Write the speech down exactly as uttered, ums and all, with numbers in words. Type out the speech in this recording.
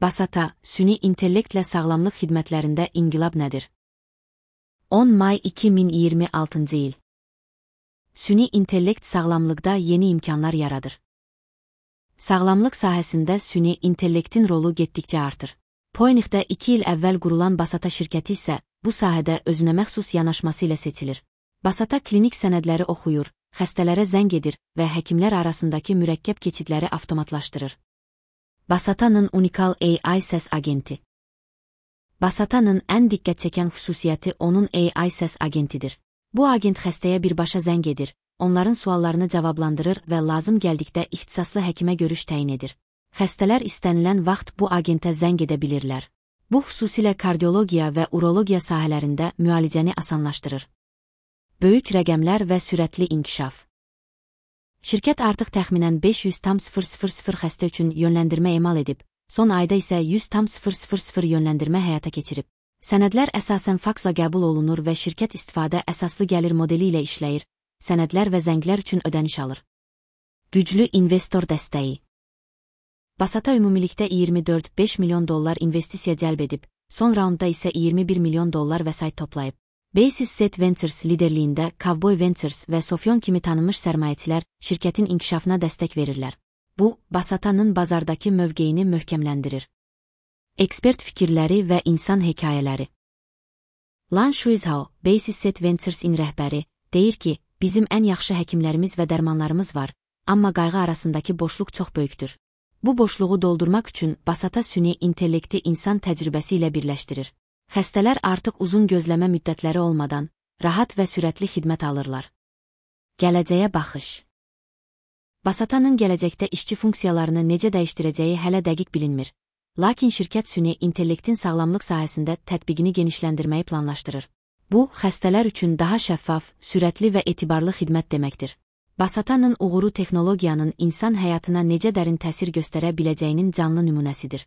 Basata, süni intellektlə sağlamlıq xidmətlərində inqilab nədir? on may iki min iyirmi altıncı il. Süni intellekt sağlamlıqda yeni imkanlar yaradır. Sağlamlıq sahəsində süni intellektin rolu getdikcə artır. Poynixdə iki il əvvəl qurulan Basata şirkəti isə bu sahədə özünəməxsus yanaşması ilə seçilir. Basata klinik sənədləri oxuyur, xəstələrə zəng edir və həkimlər arasındakı mürəkkəb keçidləri avtomatlaşdırır. Basata'nın unikal A I səs agenti. Basata'nın ən diqqət çəkən xüsusiyyəti onun A I səs agentidir. Bu agent xəstəyə birbaşa zəng edir, onların suallarını cavablandırır və lazım gəldikdə ixtisaslı həkimə görüş təyin edir. Xəstələr istənilən vaxt bu agentə zəng edə bilirlər. Bu xüsusilə kardiologiya və urologiya sahələrində müalicəni asanlaşdırır. Böyük rəqəmlər və sürətli inkişaf. Şirkət artıq təxminən beş yüz min xəstə üçün yönləndirmə emal edib, son ayda isə yüz min yönləndirmə həyata keçirib. Sənədlər əsasən faksla qəbul olunur və şirkət istifadə əsaslı gəlir modeli ilə işləyir, sənədlər və zənglər üçün ödəniş alır. Güclü investor dəstəyi. Basata ümumilikdə iyirmi dörd nöqtə beş milyon dollar investisiya cəlb edib, son raundda isə iyirmi bir milyon dollar vəsait toplayıb. Basis Set Ventures liderliyində Cowboy Ventures və Sofyon kimi tanınmış sərmayəçilər şirkətin inkişafına dəstək verirlər. Bu, Basata'nın bazardakı mövqeyini möhkəmləndirir. Ekspert fikirləri və insan hekayələri. Lan Shuizhao, Basis Set Ventures'in rəhbəri, deyir ki, bizim ən yaxşı həkimlərimiz və dərmanlarımız var, amma qayğı arasındakı boşluq çox böyükdür. Bu boşluğu doldurmaq üçün Basata süni intellekti insan təcrübəsi ilə birləşdirir. Xəstələr artıq uzun gözləmə müddətləri olmadan, rahat və sürətli xidmət alırlar. Gələcəyə baxış. Basata'nın gələcəkdə işçi funksiyalarını necə dəyişdirəcəyi hələ dəqiq bilinmir. Lakin şirkət süni intellektin sağlamlıq sahəsində tətbiqini genişləndirməyi planlaşdırır. Bu, xəstələr üçün daha şəffaf, sürətli və etibarlı xidmət deməkdir. Basata'nın uğuru texnologiyanın insan həyatına necə dərin təsir göstərə biləcəyinin canlı nümunəsidir.